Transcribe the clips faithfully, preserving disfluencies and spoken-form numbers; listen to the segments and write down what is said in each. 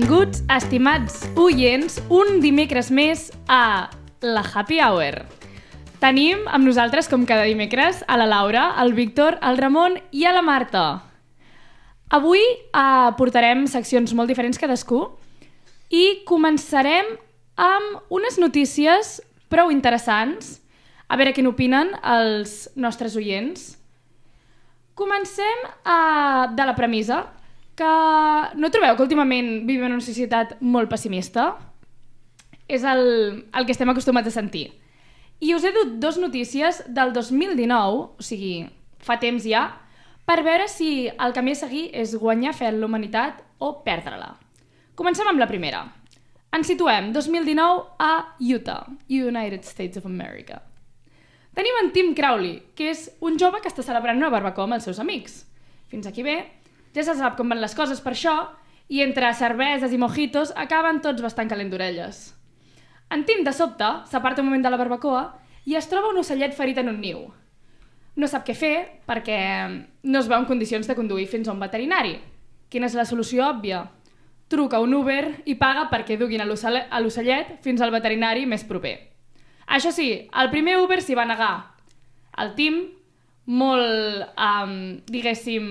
Benvinguts, estimats oients, un dimecres més a la Happy Hour. Tenim amb nosaltres, com cada dimecres, a la Laura, el Víctor, el Ramon i a la Marta. Avui eh, portarem seccions molt diferents cadascú i començarem amb unes notícies prou interessants, a veure què n'opinen els nostres oients. Comencem eh, de la premissa que no trobeu que últimament vivim en una societat molt pessimista? És el, el que estem acostumats a sentir. I us he dut dos notícies del dos mil dinou, o sigui, fa temps ja, per veure si el camí a seguir és guanyar fe en la humanitat o perdre-la. Comencem amb la primera. Ens situem dos mil dinou a Utah, United States of America. Tenim en Tim Crowley, que és un jove que està celebrant una barbacoa amb els seus amics. Fins aquí bé, ja se sap com van les coses per això, i entre cerveses i mojitos acaben tots bastant calent d'orelles. En Tim, de sobte, s'aparta un moment de la barbacoa i es troba un ocellet ferit en un niu. No sap què fer perquè no es veu en condicions de conduir fins a un veterinari. Quina és la solució òbvia? Truca un Uber i paga perquè duguin a l'ocellet fins al veterinari més proper. Això sí, el primer Uber s'hi va negar. El Tim, molt, um, diguéssim,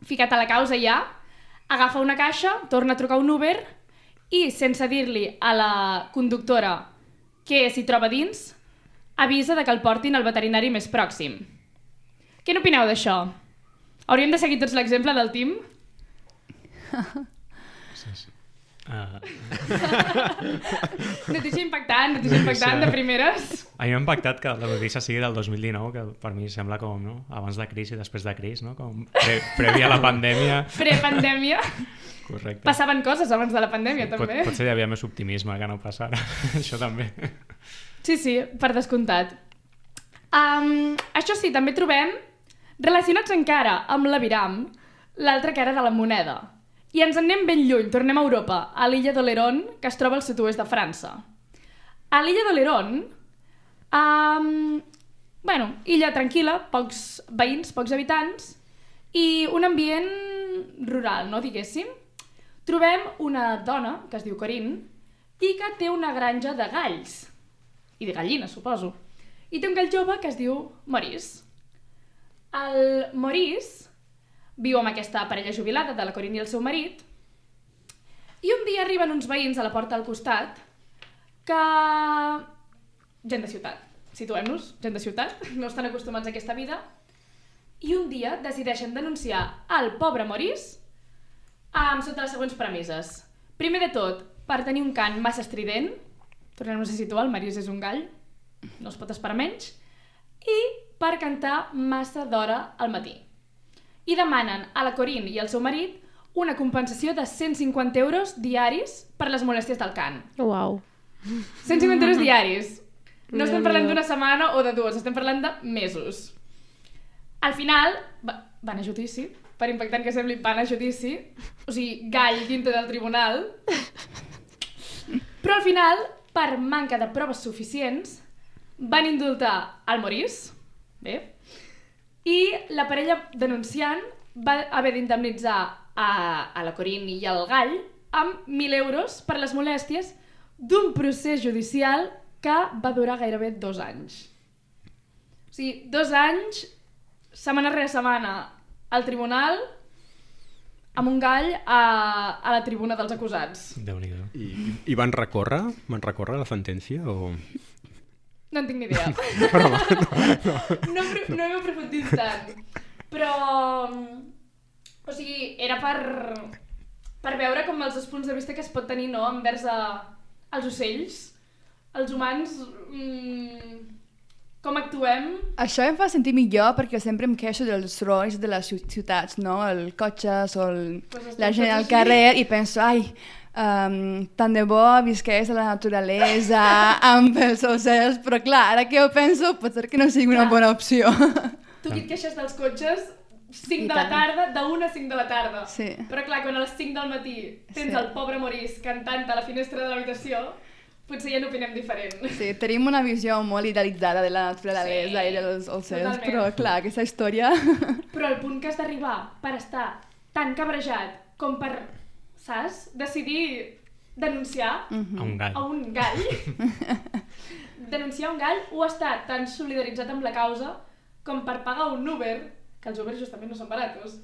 ficat a la causa ja, agafa una caixa, torna a trucar un Uber i, sense dir-li a la conductora què s'hi troba dins, avisa de que el portin al veterinari més pròxim. Què n'opineu d'això? Hauríem de seguir tots l'exemple del Tim? Sí, sí. Uh... notícia impactant, notícia impactant de primeres. A mi m'ha impactat que la notícia sigui del dos mil dinou, que per mi sembla com, no? Abans de crisi i després de crisi, no? Com pre previ a la pandèmia. Pre-pandèmia. Correcte. Passaven coses abans de la pandèmia, Pot, també. Potser hi havia més optimisme que no passara. Això també. Sí, sí, per descomptat. Um, això sí, també trobem, relacionats encara amb l'aviram, l'altra cara de la moneda. I ens en anem ben lluny, tornem a Europa, a l'illa d'Oléron, que es troba al sud-oest de França. A l'illa d'Oléron, um, bueno, illa tranquil·la, pocs veïns, pocs habitants, i un ambient rural, no diguéssim. Trobem una dona, que es diu Corinne, i que té una granja de galls, i de gallines, suposo. I té un gall jove que es diu Maurice. El Maurice viu amb aquesta parella jubilada de la Corinne i el seu marit, i un dia arriben uns veïns a la porta al costat que... gent de ciutat, situem-nos, gent de ciutat, no estan acostumats a aquesta vida, i un dia decideixen denunciar el pobre Maurice amb sota les següents premisses. Primer de tot, per tenir un cant massa estrident, tornem-nos a situar, el Maurice és un gall, no es pot esperar menys, i per cantar massa d'hora al matí. I demanen a la Corinne i al seu marit una compensació de cent cinquanta euros diaris per les molèsties del cant. Uau. cent cinquanta euros diaris. No estem parlant d'una setmana o de dues, estem parlant de mesos. Al final, va, van a judici, per impactant que sembli, van a judici, o sigui, gall dintre del tribunal, però al final, per manca de proves suficients, van indultar el Maurice, bé, i la parella denunciant va haver d'indemnitzar a, a la Corinne i al gall amb mil euros per les molèsties d'un procés judicial que va durar gairebé dos anys. O sigui, dos anys, setmana rere setmana, al tribunal, amb un gall a, a la tribuna dels acusats. Déu-n'hi-do. I, I van recórrer? Van recórrer la sentència o...? No en tinc ni idea. Però, no, no. No, no hem aprofundit tant. Però... O sigui, era per, per veure com els dos punts de vista que es pot tenir, no?, envers a, els ocells, els humans, mmm, com actuem. Això em fa sentir millor perquè sempre em queixo dels sorolls de les ciutats, no? El cotxes o el, pues la gent al carrer i penso, ai, um, tant de bo visqués a la naturalesa amb els ocells, però clar, ara que ho penso pot ser que no sigui una bona opció. Tu qui et queixes dels cotxes cinc de la tarda, d'una a cinc de la tarda. Sí. Però clar, quan a les cinc del matí tens Sí. el pobre Maurice cantant a la finestra de l'habitació, potser ja n'opinem diferent. Sí, tenim una visió molt idealitzada de la naturalesa Sí, i dels ocells, totalment. però clar, aquesta història... Però el punt que has d'arribar per estar tan cabrejat com per saps? Decidir denunciar A un gall. a un gall, denunciar un gall o estar tan solidaritzat amb la causa com per pagar un Uber, que els Ubers justament no són baratos,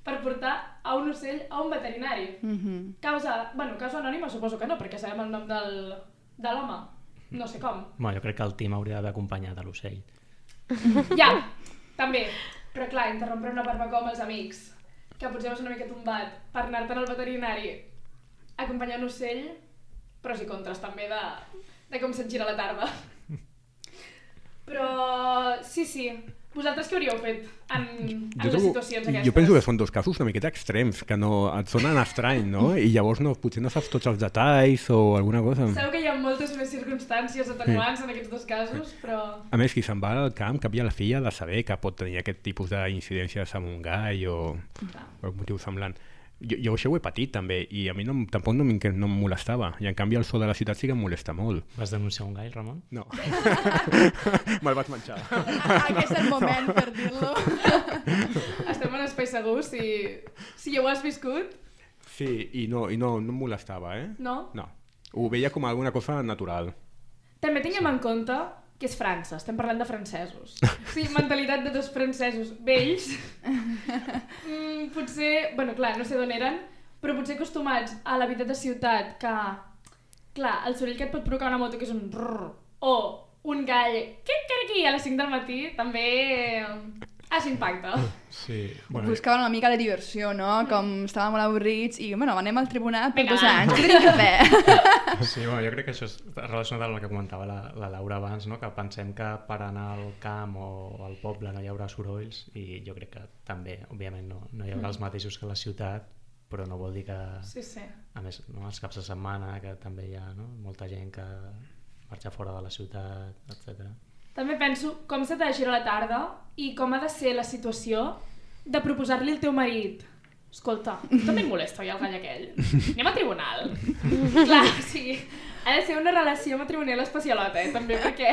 per portar a un ocell a un veterinari. Mhm. Causa, bueno, causa anònima suposo que no, perquè sabem el nom del, de l'home. No sé com. Bueno, jo crec que el Tim hauria d'haver acompanyat a l'ocell. Ja, també. Però clar, interrompre una barbacoa amb els amics, que potser vas una mica tombat, per anar-te'n al veterinari, acompanyar un ocell, pros i contres també de, de com se't gira la tarda. Però sí, sí. Vosaltres què hauríeu fet en, en les situacions aquestes? Jo penso que són dos casos una miqueta extrems, que no et sonen estrany, no? I llavors no, potser no saps tots els detalls o alguna cosa. Sabeu que hi ha moltes més circumstàncies atenuants en aquests dos casos, però... A més, qui se'n va al camp, cap i a la filla, ha de saber que pot tenir aquest tipus d'incidències amb un gall o, o un motiu semblant. Jo, jo això ho he patit també i a mi no, tampoc no, no em molestava i en canvi el so de la ciutat sí que em molesta molt. Vas denunciar un gall, Ramon? No. Me'l vaig menjar. Aquest és el moment per dir-lo. Estem en espai segur, si, si ja ho has viscut. Sí, i no, i no, no em molestava, eh? No? No. Ho veia com alguna cosa natural. També tinguem en compte que és França, estem parlant de francesos. Sí, mentalitat de dos francesos vells. Mm, potser, bueno, clar, no sé d'on eren, però potser acostumats a la vida de ciutat que, clar, el soroll que et pot provocar una moto que és un rrr, o un gall que aquí a les cinc del matí també has impacte. Sí. Bueno, Buscaven una mica de diversió, no? Com estàvem molt avorrits i, bueno, anem al tribunal per Vinga, dos va. anys. Què tenim que fer? sí, bueno, jo crec que això és relacionat amb el que comentava la, la Laura abans, no? Que pensem que per anar al camp o al poble no hi haurà sorolls i jo crec que també, òbviament, no, no hi haurà els mateixos que a la ciutat, però no vol dir que, Sí, sí. a més, no, els caps de setmana, que també hi ha no? molta gent que marxa fora de la ciutat, etcètera. També penso com se t'ha de girar la tarda i com ha de ser la situació de proposar-li al teu marit: escolta, també em molesta oi el gall aquell? Anem a tribunal. Clar, o sigui, ha de ser una relació matrimonial especialota, eh, també, perquè...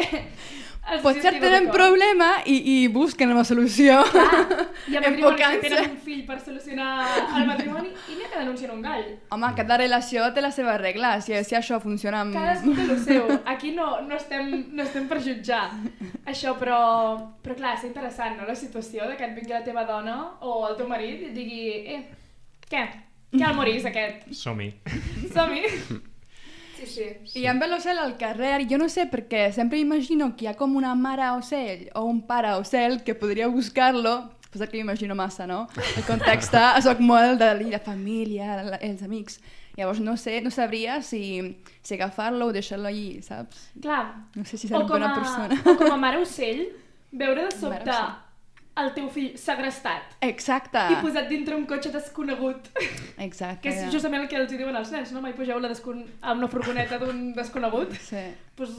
els Potser estigueu tenen d'acord. problema i, i busquen una solució. Clar, hi ha matrimonis que Enfocant-se. tenen un fill per solucionar el matrimoni i n'hi ha que denuncien un gall. Home, cada relació té la seva regla, si, si això funciona amb... Cadascú té el seu. Aquí no, no, estem, no estem per jutjar això, però, però clar, és interessant, no?, la situació de que et vingui la teva dona o el teu marit i et digui: eh, què? Què el morís aquest? Som-hi. Som-hi? Sí, sí. I amb l'ocell al carrer, jo no sé perquè sempre imagino que hi ha com una mare ocell o un pare ocell que podria buscar-lo, potser que m'imagino massa, no? El context, soc molt de la família, la- els amics. Llavors no sé, no sabria si, si agafar-lo o deixar-lo allí, saps? Clar. No sé si O serà com, bona a, persona. o com a mare ocell, veure de sobte Mare ocell. el teu fill segrestat Exacte. i posat dintre un cotxe desconegut. Exacte. Que és justament el que els hi diuen als nens, no? Mai pugeu la descon... a una furgoneta d'un desconegut. Sí. Pues,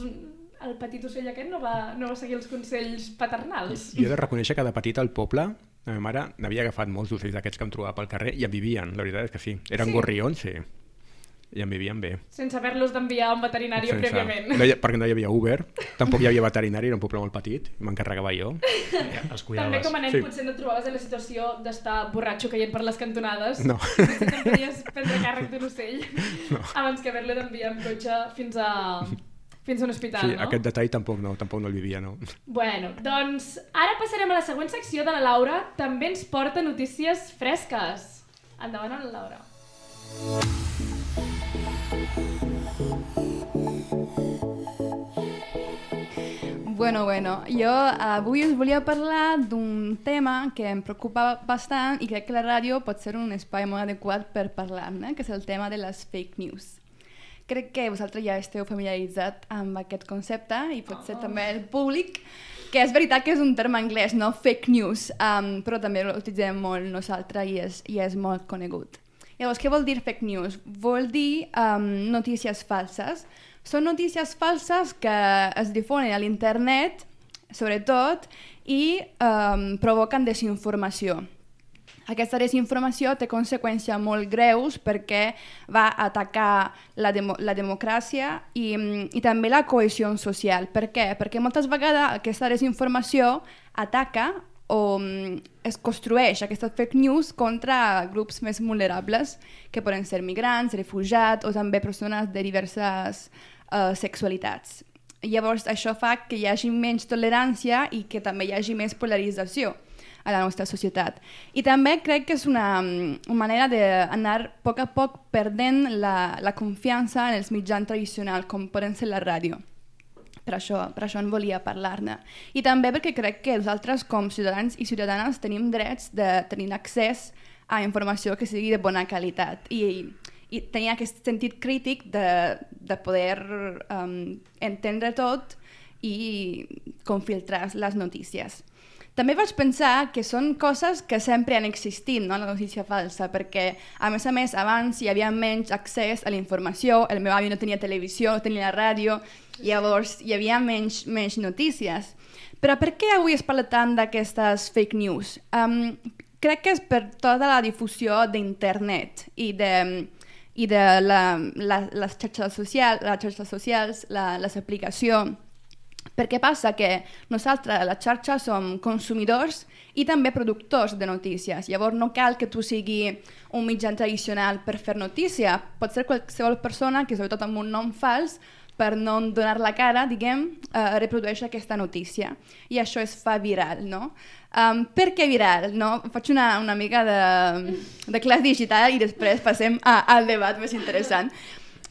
el petit ocell aquest no va, no va seguir els consells paternals. Jo he de reconèixer que de petit al poble la meva mare n'havia agafat molts d'ocells d'aquests que em trobava pel carrer i en vivien, la veritat és que sí. Eren Sí? gorrions, sí. I en vivien bé. Sense haver-los d'enviar a un veterinari prèviament. No hi, perquè no hi havia Uber, tampoc hi havia veterinari, era un poble molt petit, i m'encarregava jo. Ja, els També cuidaves. com a nen Sí. potser no et trobaves en la situació d'estar borratxo caient per les cantonades. No. Potser te'n podies prendre càrrec d'un ocell no. abans que haver-lo d'enviar amb cotxe fins a, fins a un hospital, Sí, no? aquest detall tampoc no, tampoc no el vivia, no. Bueno, doncs ara passarem a la següent secció de la Laura. També ens porta notícies fresques. Endavant amb la Laura. Bueno, bueno, jo avui us volia parlar d'un tema que em preocupa bastant i crec que la ràdio pot ser un espai molt adequat per parlar-ne, que és el tema de les fake news. Crec que vosaltres ja esteu familiaritzat amb aquest concepte i potser oh. també el públic, que és veritat que és un terme anglès, no? Fake news, um, però també l'utilitzem molt nosaltres i és, i és molt conegut. Llavors, què vol dir fake news? Vol dir um, notícies falses. Són notícies falses que es difonen a l'internet, sobretot, i um, provoquen desinformació. Aquesta desinformació té conseqüències molt greus perquè va atacar la, demo la democràcia i, i també la cohesió social. Per què? Perquè moltes vegades aquesta desinformació ataca o es construeix aquestes fake news contra grups més vulnerables, que poden ser migrants, refugiats o també persones de diverses uh, sexualitats. Llavors, això fa que hi hagi menys tolerància i que també hi hagi més polarització a la nostra societat. I també crec que és una, una manera d'anar a poc a poc perdent la, la confiança en els mitjans tradicionals, com poden ser la ràdio. Per això, per això en volia parlar-ne. I també perquè crec que nosaltres, com ciutadans i ciutadanes, tenim drets de tenir accés a informació que sigui de bona qualitat i, i tenir aquest sentit crític de, de poder um, entendre tot i com filtrar les notícies. També vaig pensar que són coses que sempre han existit, no? La notícia falsa, perquè a més a més abans hi havia menys accés a la informació, el meu avi no tenia televisió, no tenia ràdio, llavors hi havia menys, menys notícies. Però per què avui es parla tant d'aquestes fake news? Um, crec que és per tota la difusió d'internet i de, i de la, la, les xarxes socials, les xarxes socials, la, les aplicacions. Perquè passa que nosaltres a la xarxa som consumidors i també productors de notícies. Llavors no cal que tu sigui un mitjà tradicional per fer notícia. Pot ser qualsevol persona que, sobretot amb un nom fals, per no donar la cara, diguem, eh, reprodueix aquesta notícia. I això es fa viral, no? Um, per què viral? No? Faig una, una mica de, de classe digital i després passem a, al debat més interessant.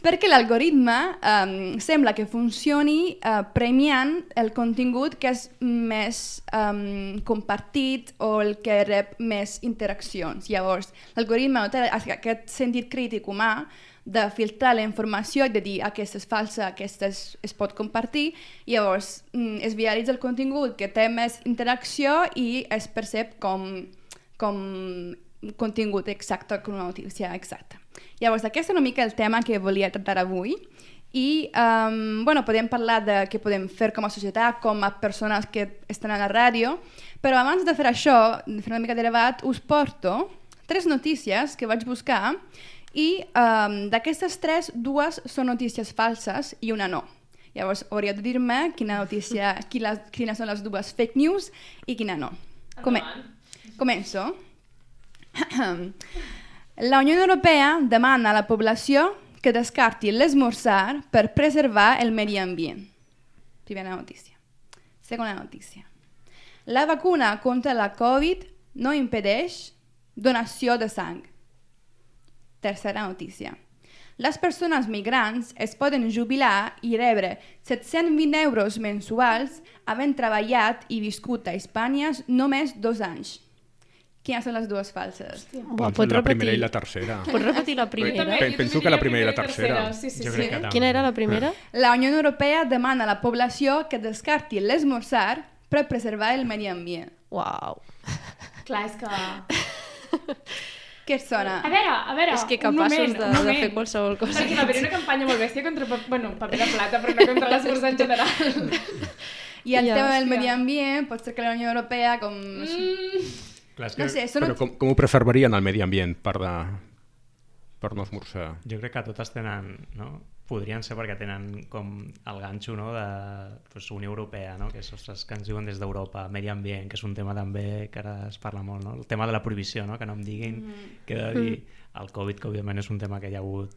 Perquè l'algoritme um, sembla que funcioni uh, premiant el contingut que és més um, compartit o el que rep més interaccions. Llavors, l'algoritme no té aquest sentit crític humà de filtrar la informació i de dir aquesta és falsa, aquesta es, es pot compartir, i llavors mm, es viralitza el contingut que té més interacció i es percep com, com contingut exacte, com una notícia exacta. Llavors, aquest és una mica el tema que volia tractar avui i um, bueno, podem parlar de què podem fer com a societat, com a persones que estan a la ràdio, però abans de fer això, de fer una mica de debat, us porto tres notícies que vaig buscar i um, d'aquestes tres, dues són notícies falses i una no. Llavors, hauríeu de dir-me quina notícia, quines, quines són les dues fake news i quina no. Come Començo. La Unió Europea demana a la població que descarti l'esmorzar per preservar el medi ambient. Primera notícia. Segona notícia. La vacuna contra la Covid no impedeix donació de sang. Tercera notícia. Les persones migrants es poden jubilar i rebre set-cents vint euros mensuals havent treballat i viscut a Espanya només dos anys. Quines són les dues falses? Buah, doncs la repetir? primera i la tercera. Pots repetir la primera? També, Penso que la primera i la tercera. Sí, sí, jo sí. crec que Quina era la primera? La Unió Europea demana a la població que descarti l'esmorzar per preservar el medi ambient. Uau. Clar, és que... Què et sona? A veure, a veure, És que un capaços moment, de, un de moment. fer qualsevol cosa. Perquè va haver una campanya molt bèstia contra, bueno, paper de plata, però no contra l'esmorzar en general. I el Ja, tema del hòstia. medi ambient pot ser que la Unió Europea com... Mm, Clar, és que No sé, són... Però com, com ho preservarien el medi ambient per, de, per no esmorzar? jo crec que totes tenen, no? Podrien ser perquè tenen com el ganxo, no? De pues, Unió Europea, no? Que és, ostres, que ens diuen des d'Europa, medi ambient, que és un tema també que ara es parla molt, no? El tema de la prohibició, no? Que no em diguin mm. que he de dir el Covid, que òbviament és un tema que hi ha hagut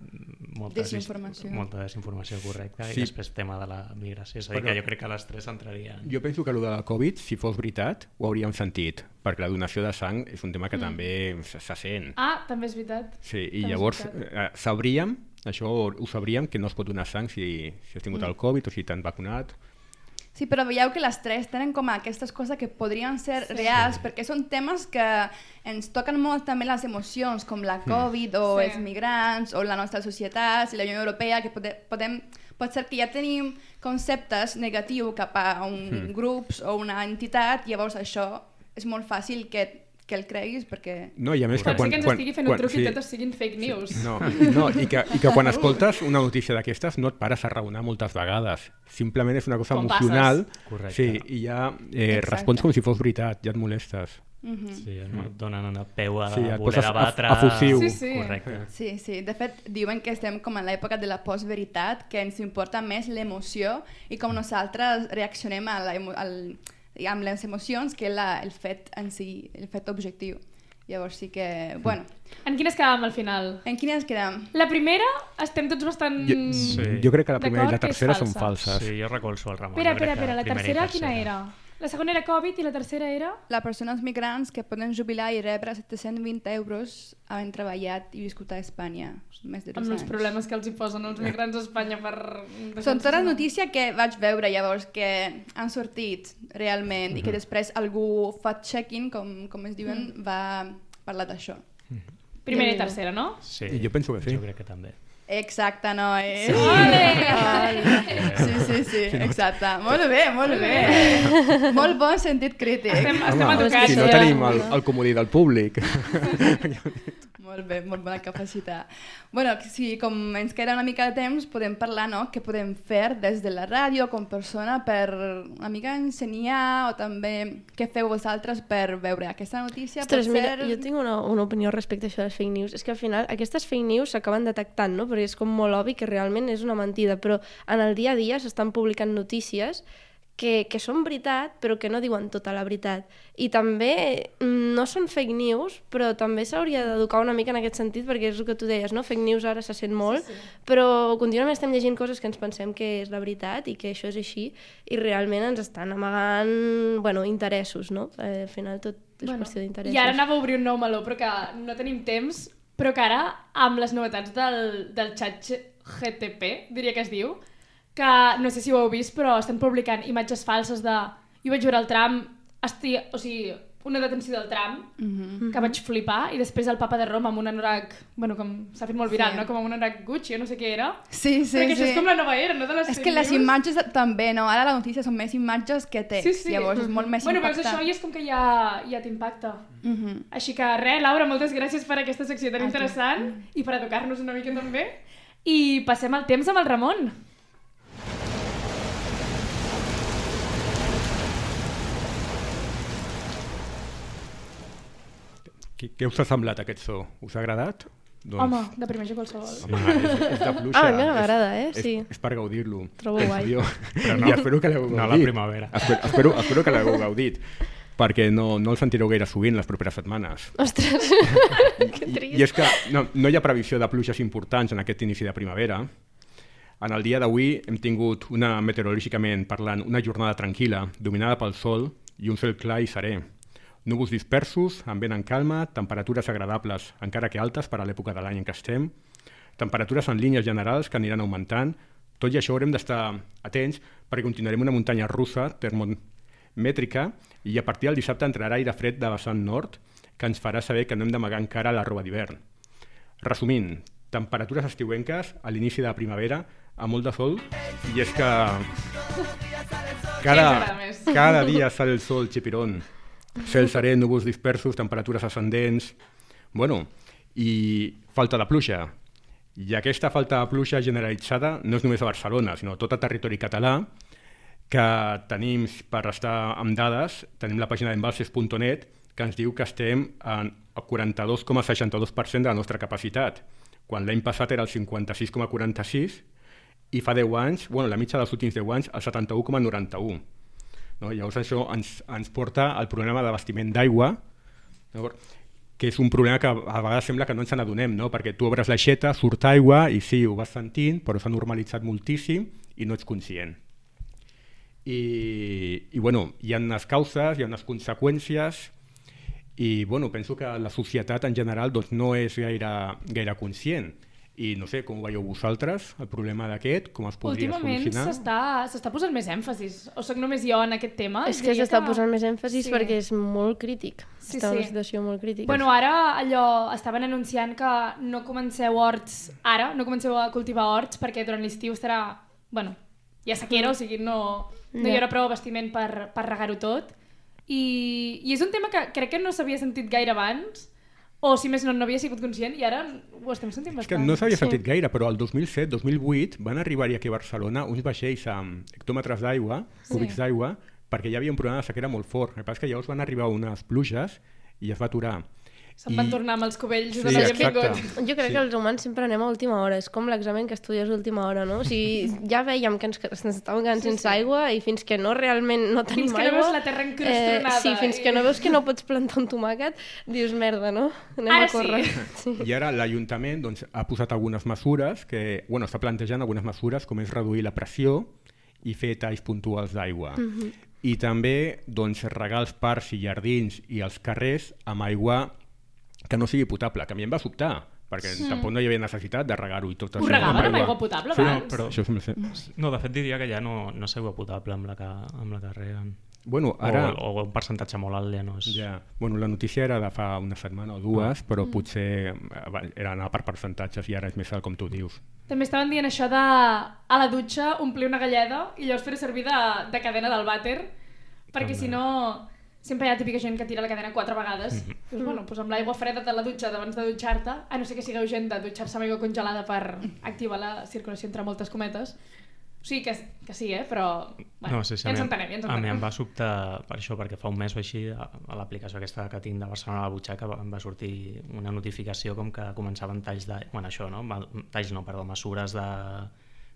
molta Desinformació. molta desinformació correcta, Sí. i després tema de la migració. És a dir, Però- que jo crec que les tres entrarien. Jo penso que el de la Covid, si fos veritat, ho hauríem sentit, perquè la donació de sang és un tema que mm. també se, se sent. Ah, també és veritat. Sí, i També és llavors veritat. eh, sabríem, això ho sabríem, que no es pot donar sang si, si has tingut mm. el Covid o si t'han vacunat. Sí, però veieu que les tres tenen com aquestes coses que podrien ser sí. reals, perquè són temes que ens toquen molt també les emocions, com la Covid o Sí. els migrants o la nostra societat i la Unió Europea, que pode, podem, pot ser que ja tenim conceptes negatius cap a un Mm. grups o una entitat, llavors això és molt fàcil que, que el creguis perquè... No, i a més Pot que quan... ser que ens quan, estigui fent quan, un truc sí, i totes siguin fake news. No, no i, que, i que quan escoltes una notícia d'aquestes no et pares a raonar moltes vegades. Simplement és una cosa Com emocional. passes. Correcte. Sí, i ja eh, Exacte. respons com si fos veritat, ja et molestes. Mm-hmm. Sí, no et donen una peu a Sí, sí, et voler poses debatre... a- efusiu. Sí, sí. Correcte. Sí, sí. De fet, diuen que estem com en l'època de la postveritat, que ens importa més l'emoció i com nosaltres reaccionem a la emo al, amb les emocions que la, el fet en si, el fet objectiu. Llavors sí que... Bueno. En quines quedàvem al final? En quines quedam? La primera estem tots bastant... Jo, Sí. jo crec que la primera i la d'acord que és tercera són falsa. falses. Sí, jo recolzo el Ramon. Espera, jo crec espera, espera, que la primera i tercera quina era? La segona era Covid i la tercera era... Les persones migrants que poden jubilar i rebre set-cents vint euros havent treballat i viscut a Espanya més de dos Amb els anys. problemes que els hi posen els migrants a Espanya per... Són totes notícies que vaig veure llavors que han sortit realment i que després algú fact-checking, com, com es diuen, va parlar d'això. Primera i tercera, no? Sí, I jo penso que sí. Jo crec que també. Exacte, no és... Sí. Sí, sí, sí, exacte. Molt bé, molt bé. Molt bon sentit crític. Estem, estem Home, educats. si no ja. tenim el, el comodí del públic. Molt bé, molt bona capacitat. Bueno, si com ens queda una mica de temps, podem parlar, no?, què podem fer des de la ràdio com persona per una mica ensenyar o també què feu vosaltres per veure aquesta notícia. Ostres, pot mira, ser... jo tinc una, una opinió respecte a això de les fake news. És que al final aquestes fake news s'acaben detectant, no? Perquè és com molt obvi que realment és una mentida, però en el dia a dia s'estan publicant notícies que, que són veritat, però que no diuen tota la veritat. I també no són fake news, però també s'hauria d'educar una mica en aquest sentit, perquè és el que tu deies, no? Fake news ara se sent molt, sí, sí. Però contínuament estem llegint coses que ens pensem que és la veritat i que això és així, i realment ens estan amagant, bueno, interessos, no? Eh, al final tot és bueno, qüestió d'interessos. I ara anava a obrir un nou meló, però que no tenim temps, però que ara, amb les novetats del, del xat G T P, diria que es diu, que no sé si ho heu vist, però estan publicant imatges falses de... Jo vaig veure el tram, esti... o sigui, una detenció del tram, Mm-hmm. que vaig flipar, i després el papa de Roma amb un anorac, bueno, com s'ha fet molt viral, Sí. no? Com amb un anorac Gucci, jo no sé què era. Sí, sí, Però que això sí. és com la nova era, no? De les És fake que les news. imatges també, no? Ara la notícia són més imatges que text, Sí, sí. llavors és molt més bueno, veus impactant. això i és com que ja, ja t'impacta. Mhm. Així que res, Laura, moltes gràcies per aquesta secció tan A tu. interessant i per educar-nos una mica també. I passem el temps amb el Ramon. Què, què us ha semblat aquest so? Us ha agradat? Doncs, Home, de primer jo qualsevol. home, és, és de pluja. Ah, a mi no és- m'agrada, eh? És, Sí. és per gaudir-lo. Trobo Penso guai. jo. Però no- I espero que l'heu no a la gaudit. primavera. Espero, espero, espero que l'heu gaudit, perquè no, no el sentireu gaire sovint les properes setmanes. Ostres, que I, trist. I és que no, no hi ha previsió de pluges importants en aquest inici de primavera. En el dia d'avui hem tingut, una meteorològicament parlant, una jornada tranquil·la, dominada pel sol i un cel clar i serè. Núvols dispersos, amb vent en calma, temperatures agradables, encara que altes per a l'època de l'any en què estem, temperatures en línies generals que aniran augmentant. Tot i això haurem d'estar atents perquè continuarem una muntanya russa termomètrica i a partir del dissabte entrarà aire fred de vessant nord que ens farà saber que no hem d'amagar encara la roba d'hivern. Resumint, temperatures estiuenques a l'inici de la primavera amb molt de sol i és que Què ens agrada cada, més? cada dia sale el sol xipirón. Cel serè, núvols dispersos, temperatures ascendents... Bueno, i falta de pluja. I aquesta falta de pluja generalitzada no és només a Barcelona, sinó a tot el territori català, que tenim, per estar amb dades, tenim la pàgina d'embalses punt net, que ens diu que estem en el quaranta-dos coma seixanta-dos per cent de la nostra capacitat, quan l'any passat era el cinquanta-sis coma quaranta-sis i fa deu anys, bueno, la mitja dels últims deu anys, el setanta-u coma noranta-u. No? Llavors això ens, ens porta al problema d'abastiment d'aigua, no? Que és un problema que a vegades sembla que no ens n'adonem, no? Perquè tu obres l'aixeta, surt aigua i sí, ho vas sentint, però s'ha normalitzat moltíssim i no ets conscient. I, i bueno, hi ha unes causes, hi ha unes conseqüències i bueno, penso que la societat en general doncs, no és gaire, gaire conscient. I no sé, com ho veieu vosaltres, el problema d'aquest, com es podria Últimament solucionar? s'està s'està posant més èmfasis. O soc només jo en aquest tema? És que Diria s'està posant més èmfasis Sí. perquè és molt crític. Sí, Està en sí. una situació molt crítica. Bueno, ara allò estaven anunciant que no comenceu horts ara, no comenceu a cultivar horts perquè durant l'estiu estarà, bueno, hi ha sequera, o sigui, no, no hi Ja. haurà prou abastiment per, per regar-ho tot. I, I és un tema que crec que no s'havia sentit gaire abans, o si més no, no havia sigut conscient, i ara ho estem sentint És que bastant. no s'havia Sí. sentit gaire, però el dos mil set dos mil vuit van arribar-hi aquí a Barcelona uns vaixells amb hectòmetres d'aigua, Sí. cúbics d'aigua, perquè hi havia un problema de sequera molt fort. El que passa és que llavors van arribar unes pluges i es va aturar. Se'n van tornar amb els cubells Sí, de la exacte. benvingut. Jo crec Sí. que els humans sempre anem a última hora, és com l'examen que estudies a última hora, no? O sigui, ja veiem que ens, que ens estàvem quedant Sí, sense sí. aigua i fins que no realment no tenim Fins que no aigua... veus la terra encrustonada sí, fins i- que no veus que no pots plantar un tomàquet, dius, merda, no? Anem Ara a córrer. sí. I ara l'Ajuntament doncs, ha posat algunes mesures, que, bueno, està plantejant algunes mesures com és reduir la pressió i fer talls puntuals d'aigua. Mhm. I també doncs, regar els parcs i jardins i els carrers amb aigua que no sigui potable, que a mi em va sobtar, perquè Sí. tampoc no hi havia necessitat de regar-ho i tot Ho això. regaven amb aigua potable Sí, no, abans? però... Això sembla ser... No, de fet diria que ja no, no és aigua potable amb la que, amb la que reguen. Bueno, ara... O, o un percentatge molt alt ja no és... Ja. Bueno, la notícia era de fa una setmana o dues, Ah. però potser eh, era anar per percentatges i ara és més alt, com tu dius. També estaven dient això de a la dutxa omplir una galleda i llavors fer servir de, de cadena del vàter, perquè També. si no sempre hi ha típica gent que tira la cadena quatre vegades. Mhm. Doncs, bueno, doncs amb l'aigua freda de la dutxa abans de dutxar-te, a no ser que sigueu gent de dutxar-se amb aigua congelada per activar la circulació entre moltes cometes. O sigui que, que sí, eh? Però bueno, no, sí, sí, ja ens a mi- entenem, ja ens A mi entenem. em va sobtar per això, perquè fa un mes o així a, a l'aplicació aquesta que tinc de Barcelona a la butxaca va- em va sortir una notificació com que començaven talls de... Bueno, això, no? Ma- Talls no, perdó, mesures de...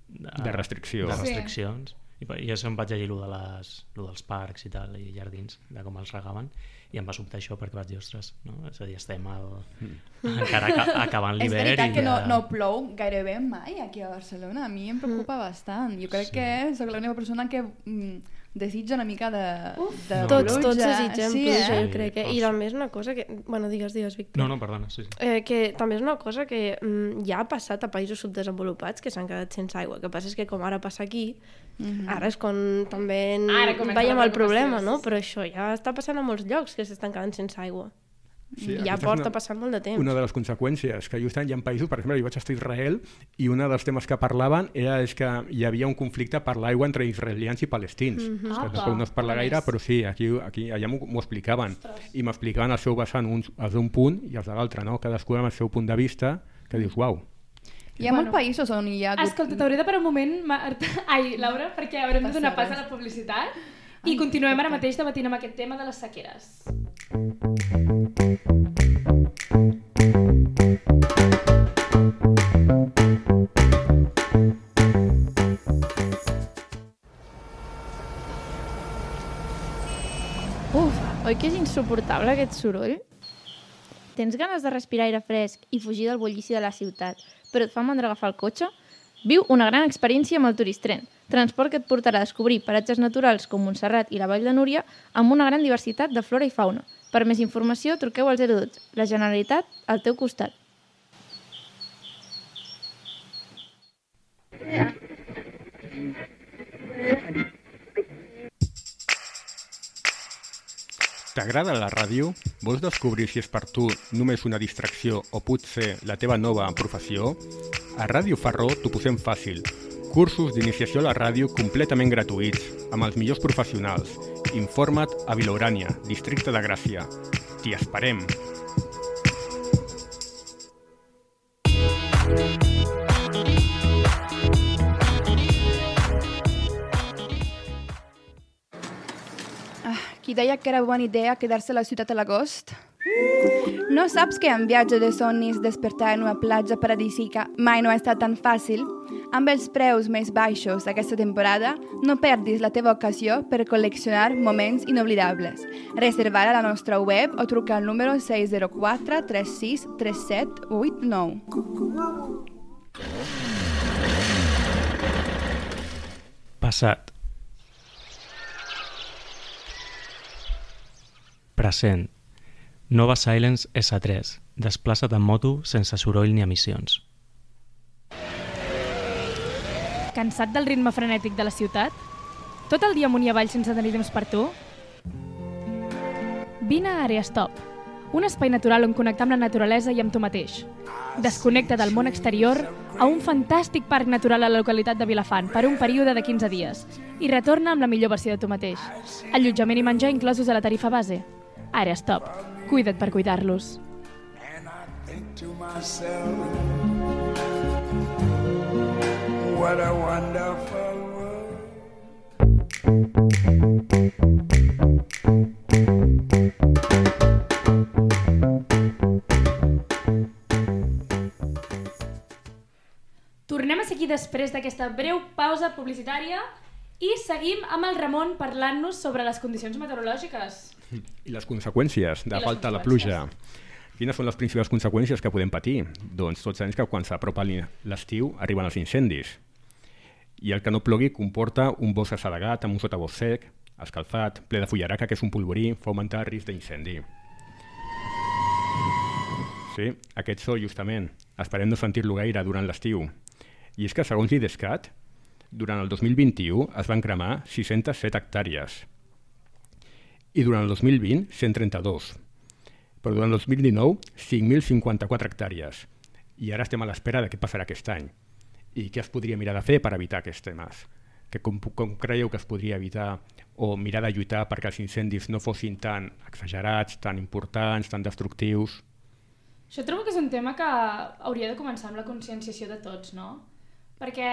De restricció. De Sí. restriccions. I per- I això em vaig llegir lo, de les, lo dels parcs i tal, i jardins, de com els regaven, i em va sobtar això perquè vaig dir, ostres, no? És a dir, estem al... encara aca acabant És l'hivern veritat i que no, ja- no plou gairebé mai aquí a Barcelona. A mi em preocupa Mm. bastant. Jo crec Sí. que sóc l'única persona que mm, desitja una mica de, de No, Tots, pluja. tots desitgem sí, pluja, eh? jo crec. Eh? I també és una cosa que... Bueno, digues, digues, Víctor. No, no, perdona, sí, sí. Eh, que també és una cosa que mm, ja ha passat a països subdesenvolupats que s'han quedat sense aigua. El que passa és que com ara passa aquí, Mhm. ara és quan també en- Ara comença veiem la el problema, preocupació, no? sí, sí. Però això ja està passant a molts llocs que s'estan quedant sense aigua. Sí, I ja aquesta és porta una- passant molt de temps. Una de les conseqüències, que justament hi ha països, per exemple, jo vaig estar a Israel i un dels temes que parlaven era és que hi havia un conflicte per l'aigua entre israelians i palestins. Mhm. Que Apa, tampoc no es parla com gaire, és? però sí, aquí, aquí allà m'ho m'ho explicaven. I m'explicaven el seu vessant, uns els d'un punt i els de l'altre, no? Cadascú amb el seu punt de vista, que dius, uau. Hi ha Bueno. molts països on hi ha hagut... Escolta, t'hauré de parar un moment, Marta... Ai, Laura, perquè haurem de donar pas a la publicitat i Ai, continuem ara perfecte. mateix debatint amb aquest tema de les sequeres. Uf, oi que és insuportable aquest soroll? Tens ganes de respirar aire fresc i fugir del bullici de la ciutat, però et fa mandra agafar el cotxe? Viu una gran experiència amb el Turistren, transport que et portarà a descobrir paratges naturals com Montserrat i la Vall de Núria amb una gran diversitat de flora i fauna. Per més informació, truqueu al zero dotze. La Generalitat, al teu costat. T'agrada la ràdio? Vols descobrir si és per tu només una distracció o potser la teva nova professió? A Ràdio Farró t'ho posem fàcil. Cursos d'iniciació a la ràdio completament gratuïts, amb els millors professionals. Informa't a Vilaurània, districte de Gràcia. T'hi esperem! Qui deia que era bona idea quedar-se a la ciutat a l'agost? No saps que en viatge de somnis despertar en una platja paradisíaca mai no ha estat tan fàcil? Amb els preus més baixos d'aquesta temporada, no perdis la teva ocasió per col·leccionar moments inoblidables. Reserva a la nostra web o truca al número sis zero quatre tres sis tres set vuit nou. Passat. Present. Nova Silence essa tres. Desplaça't en moto sense soroll ni emissions. Cansat del ritme frenètic de la ciutat? Tot el dia amunt i avall sense tenir temps per tu? Vine a Area Stop, un espai natural on connectar amb la naturalesa i amb tu mateix. Desconnecta del món exterior a un fantàstic parc natural a la localitat de Vilafant per un període de quinze dies i retorna amb la millor versió de tu mateix. Allotjament i menjar inclosos a la tarifa base. Area Stop. Cuida't per cuidar-los. And I think to myself, what a wonderful world. després d'aquesta breu pausa publicitària i seguim amb el Ramon parlant-nos sobre les condicions meteorològiques. I les conseqüències de I les falta de conseqüències. pluja. Quines són les principals conseqüències que podem patir? Doncs tots sabem que quan s'apropa l'estiu arriben els incendis. I el que no plogui comporta un bosc assedegat amb un sotabosc sec, escalfat, ple de fullaraca, que és un polvorí, fa augmentar el risc d'incendi. Sí, aquest so, justament. Esperem no sentir-lo gaire durant l'estiu. I és que, segons l'IDESCAT, durant el dos mil vint-i-u es van cremar sis-centes set hectàrees. I durant el dos mil vint, cent trenta-dos. Però durant el dos mil dinou, cinc mil cinquanta-quatre hectàrees. I ara estem a l'espera de què passarà aquest any. I què es podria mirar de fer per evitar aquests temes? Que com, com creieu que es podria evitar o mirar de lluitar perquè els incendis no fossin tan exagerats, tan importants, tan destructius? Jo trobo que és un tema que hauria de començar amb la conscienciació de tots, no? Perquè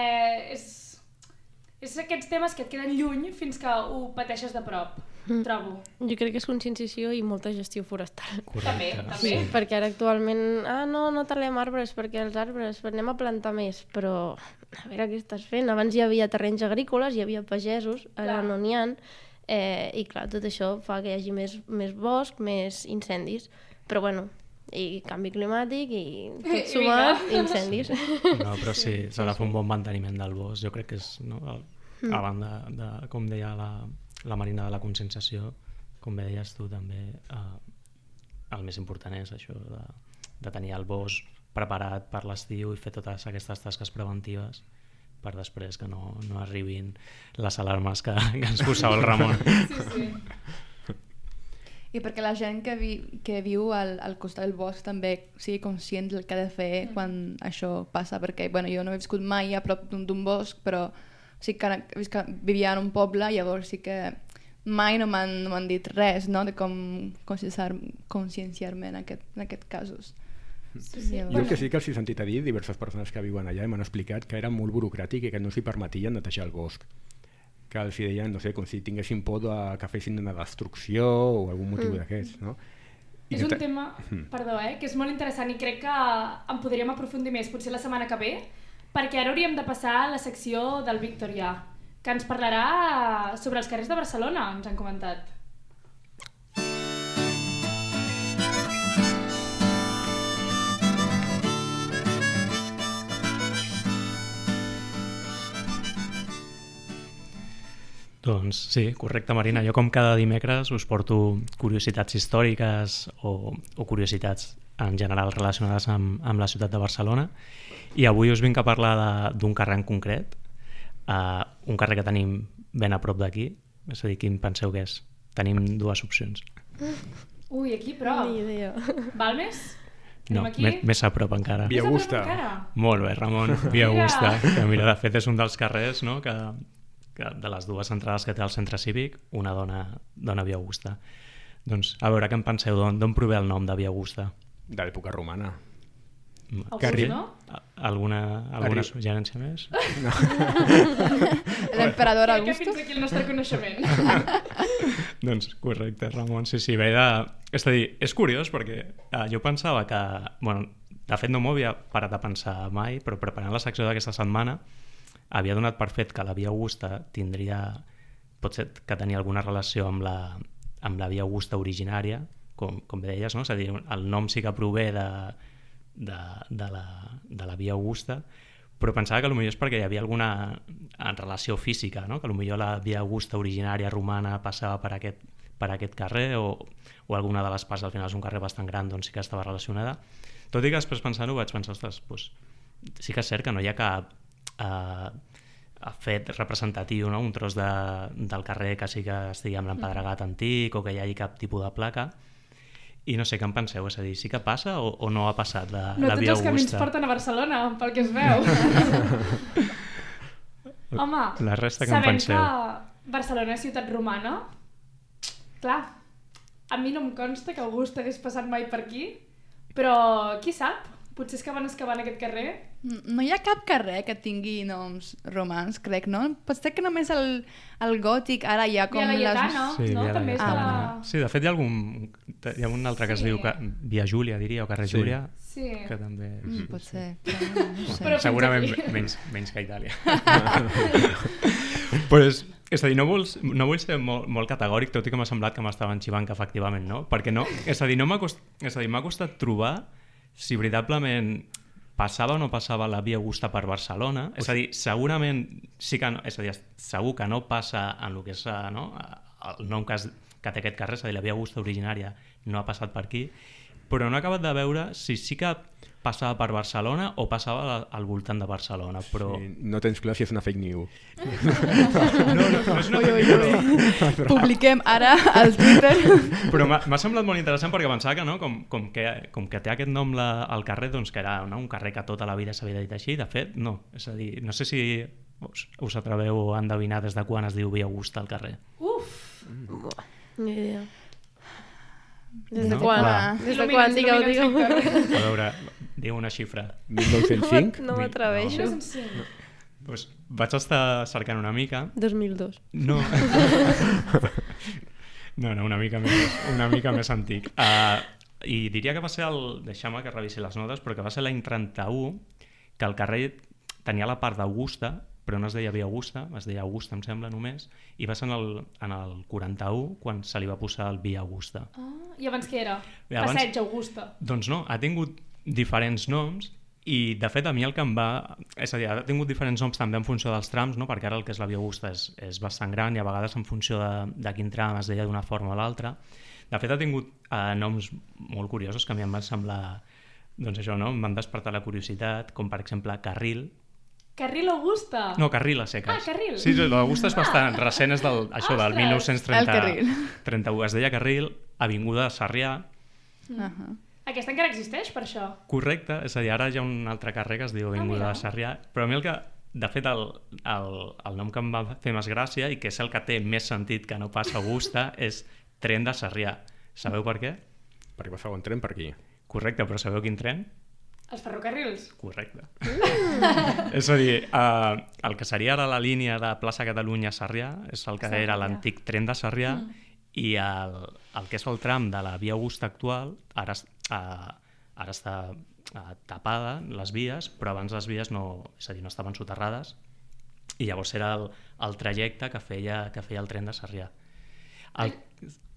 és, és aquests temes que et queden lluny fins que ho pateixes de prop, mm. trobo. Jo crec que és conscienciació i molta gestió forestal. Correcte. També, també. Sí, perquè ara actualment, ah, no, no talem arbres perquè els arbres, anem a plantar més, però a veure què estàs fent. Abans hi havia terrenys agrícoles, hi havia pagesos, ara clar. No n'hi ha, eh, i clar, tot això fa que hi hagi més, més bosc, més incendis, però bueno, i canvi climàtic i tot sumat, incendis. No, però sí, s'ha de fer un bon manteniment del bosc. Jo crec que és, no, el, a banda de, com deia la, la Marina, de la conscienciació, com bé deies tu també, eh, el més important és això de, de tenir el bosc preparat per l'estiu i fer totes aquestes tasques preventives per després que no, no arribin les alarmes que, que ens posava el Ramon. Sí, sí. I perquè la gent que, vi, que viu al, al costat del bosc també sigui conscient del que ha de fer mm. quan això passa, perquè bueno, jo no he viscut mai a prop d'un bosc, però sí que, que vivia en un poble, llavors sí que mai no m'han no dit res, no?, de com conscienciar-me en, aquest, en aquests casos. Sí, sí. Jo el que sí que els he sentit a dir diverses persones que viuen allà i m'han explicat que era molt burocràtic i que no s'hi permetien netejar el bosc, que els deien, no sé, com si tinguessin por de que fessin una destrucció o algun motiu mm. d'aquests, no? I és un ta... tema, perdó, eh, que és molt interessant i crec que en podríem aprofundir més potser la setmana que ve, perquè ara hauríem de passar a la secció del Victorià, que ens parlarà sobre els carrers de Barcelona, ens han comentat. Doncs sí, correcte, Marina. Jo com cada dimecres us porto curiositats històriques o, o curiositats en general relacionades amb, amb la ciutat de Barcelona, i avui us vinc a parlar d'un carrer en concret, uh, un carrer que tenim ben a prop d'aquí. És a dir, quin penseu que és? Tenim dues opcions. Ui, aquí prop. Ni idea. Balmes? No, més, més a prop encara. Via Augusta. Molt bé, Ramon. Via Augusta, que mira, de fet és un dels carrers, no?, que que de les dues entrades que té el centre cívic, una dona, dona Via Augusta. Doncs, a veure, què en penseu? D'on prové el nom de Via Augusta? De l'època romana. August, no? Alguna, alguna suggerència més? No. L'emperador Augusto? Augusto? Crec que fins aquí el nostre coneixement. Doncs correcte, Ramon. Sí, sí, ve de... És a dir, és curiós perquè eh, jo pensava que... Bueno, de fet no m'ho havia parat a pensar mai, però preparant la secció d'aquesta setmana havia donat per fet que la Via Augusta tindria, potser que tenia alguna relació amb la, amb la Via Augusta originària, com, com bé deies, no? És a dir, el nom sí que prové de, de, de, la, de la Via Augusta, però pensava que potser és perquè hi havia alguna relació física, no? Que potser la Via Augusta originària romana passava per aquest, per aquest carrer o, o alguna de les parts, al final és un carrer bastant gran, doncs sí que estava relacionada. Tot i que després pensant-ho vaig pensar, ostres, doncs, sí que és cert que no hi ha cap Uh, fet representatiu, no? Un tros de, del carrer que sí que estigui amb l'empedregat antic o que hi hagi cap tipus de placa, i no sé què en penseu, és a dir, sí que passa o, o no ha passat la, no, la Via Augusta? No tots els camins porten a Barcelona, pel que es veu. Home, la resta que en penseu? Sabent que Barcelona és ciutat romana, clar, a mi no em consta que Augusta hagués passat mai per aquí, però qui sap? Potser és que van excavar en aquest carrer? No hi ha cap carrer que tingui noms romans, crec, no? Pot ser que només el, el gòtic ara hi ha com Via Laietana, Sí, no? Via També és de la... Laietana. Sí, de fet hi ha algun... Hi ha un altre que es Sí. diu ca- Via Júlia, diria, o carrer Sí. Júlia, Sí. que també... Mm, pot ser, però no, no sé. Però- Segurament fins aquí. menys, menys que a Itàlia. pues, és a dir, no, vols, no vull ser molt, molt categòric, tot i que m'ha semblat que m'estaven xivant que efectivament no, perquè no, és a dir, no m'ha cost, és a dir, m'ha costat trobar si veritablement passava o no passava la Via Augusta per Barcelona, és a dir, segurament sí que no, és a dir, segur que no passa en el que és eh, no, el nom que, es, que té aquest carrer, és a dir, la Via Augusta originària no ha passat per aquí, però no he acabat de veure si sí que passava per Barcelona o passava al voltant de Barcelona, però... Sí, no tens clar si és una fake news. No, no, no és una Ui, ui, però, ui. Publiquem ara al Twitter. però m'ha m'ha semblat molt interessant perquè pensava que, no, com, com, que, com que té aquest nom la, al carrer, doncs que era no, un carrer que tota la vida s'havia dit així, de fet, no. És a dir, no sé si us, us atreveu a endevinar des de quan es diu Via Augusta al carrer. Uf! Ni idea. Des de No? quan? Va. Des de quan? Digueu, digueu. A veure, diu una xifra. mil nou-cents cinc? No m'atreveixo. Pues vaig estar cercant una mica. dos mil dos. No. No, no, una mica més, una mica més antic. Uh, I diria que va ser el... Deixa'm que revisi les notes, però que va ser l'any trenta-u que el carrer tenia la part d'Augusta, però no es deia Via Augusta, es deia Augusta, em sembla, només, i va ser en el, en el quaranta-u quan se li va posar el Via Augusta. Ah, I abans què era? I abans- Passeig Augusta. Doncs no, ha tingut diferents noms i de fet a mi el que em va... És a dir, ha tingut diferents noms també en funció dels trams, no? Perquè ara el que és la Via Augusta és, és bastant gran i a vegades en funció de, de quin tram es deia d'una forma o l'altra. De fet ha tingut eh, noms molt curiosos que a mi em van semblar... Doncs això, no? Em van despertar la curiositat, com per exemple Carril. Carril Augusta. No, Carril a seques. Ah, Carril. Sí, l'Augusta és bastant recent, és del, això del Ostres! mil nou-cents trenta, El Carril. trenta-u. Es deia Carril, Avinguda de Sarrià. Uh -huh. Aquesta encara existeix, per això. Correcte, és a dir, ara hi ha un altre carrer que es diu Avinguda mira. de Sarrià, però a mi el que, de fet, el, el, el nom que em va fer més gràcia i que és el que té més sentit que no pas Augusta és Tren de Sarrià. Sabeu per què? Perquè passava un tren per aquí. Correcte, però sabeu quin tren? Els ferrocarrils. Correcte. És a dir, eh, el que seria ara la línia de plaça Catalunya a Sarrià és el que Sarrià. era l'antic tren de Sarrià mm. i el, el que és el tram de la Via Augusta actual ara, es- eh, ara està eh, tapada les vies, però abans les vies no, és a dir, no estaven soterrades i llavors era el, el trajecte que feia, que feia el tren de Sarrià. El,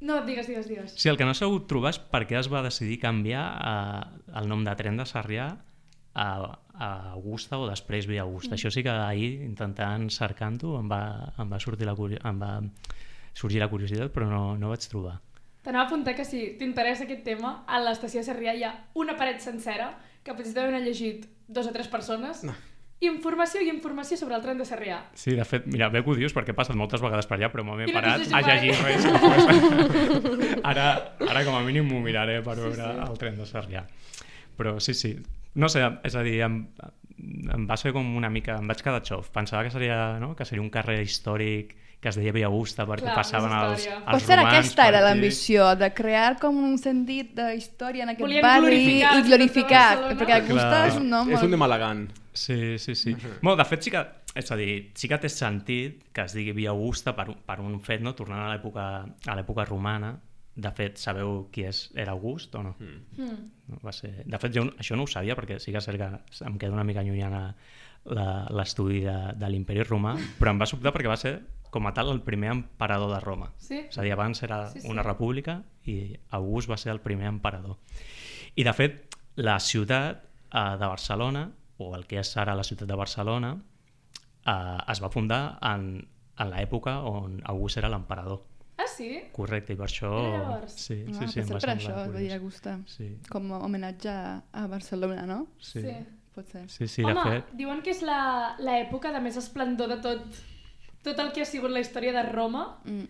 No, digues, digues, digues. sí, el que no he sabut trobar és per què es va decidir canviar eh, el nom de tren de Sarrià a, a Augusta o després Via Augusta. Mm. Això sí que ahir, intentant cercant-ho, em va, em va sortir la curi- em va sorgir la curiositat, però no, no vaig trobar. T'anava a apuntar que si t'interessa aquest tema, a l'estació de Sarrià hi ha una paret sencera que potser deuen haver llegit dos o tres persones. No. Informació i informació sobre el tren de Sarrià. Sí, de fet, mira, bé que ho dius perquè he passat moltes vegades per allà, però m'he I no parat t'has a llegit llegir mai. res. Pues, ara, ara com a mínim m'ho miraré per veure sí. el tren de Sarrià. Però sí, sí. No sé, és a dir, em, em va ser com una mica... Em vaig quedar xof. Pensava que seria, no? que seria un carrer històric que es deia Via Augusta perquè Clar, passaven més els, història. els Potser romans aquesta per era aquí. l'ambició, de crear com un sentit d'història en aquest Volien barri glorificar i glorificar, tot Barcelona. perquè Augusta Clar. és un nom És molt... un de Malagant. Sí, sí, sí. Bueno, de fet, sí que, és a dir, sí que té sentit que es digui Via Augusta per, un- per un fet, no? Tornant a l'època a l'època romana. De fet, sabeu qui és, era August o no? Mm. Mm. No, va ser... De fet, jo això no ho sabia perquè sí que és cert que em queda una mica llunyana la- l'estudi de, de l'imperi romà, però em va sobtar perquè va ser, com a tal, el primer emperador de Roma. Sí? És a dir, abans era Sí, sí. una república i August va ser el primer emperador. I, de fet, la ciutat eh, de Barcelona, o el que és ara la ciutat de Barcelona, eh, es va fundar en, en l'època on August era l'emperador. Ah, sí? Correcte, i per això... Era llavors? Sí, sí, Ah, sí, em potser va per semblar això es curiós. deia Augusta, Sí, com a homenatge a, a Barcelona, no? sí. Sí. Pot ser. Sí, sí, Home, de fet... diuen que és la- l'època de més esplendor de tot, tot el que ha sigut la història de Roma. Mm.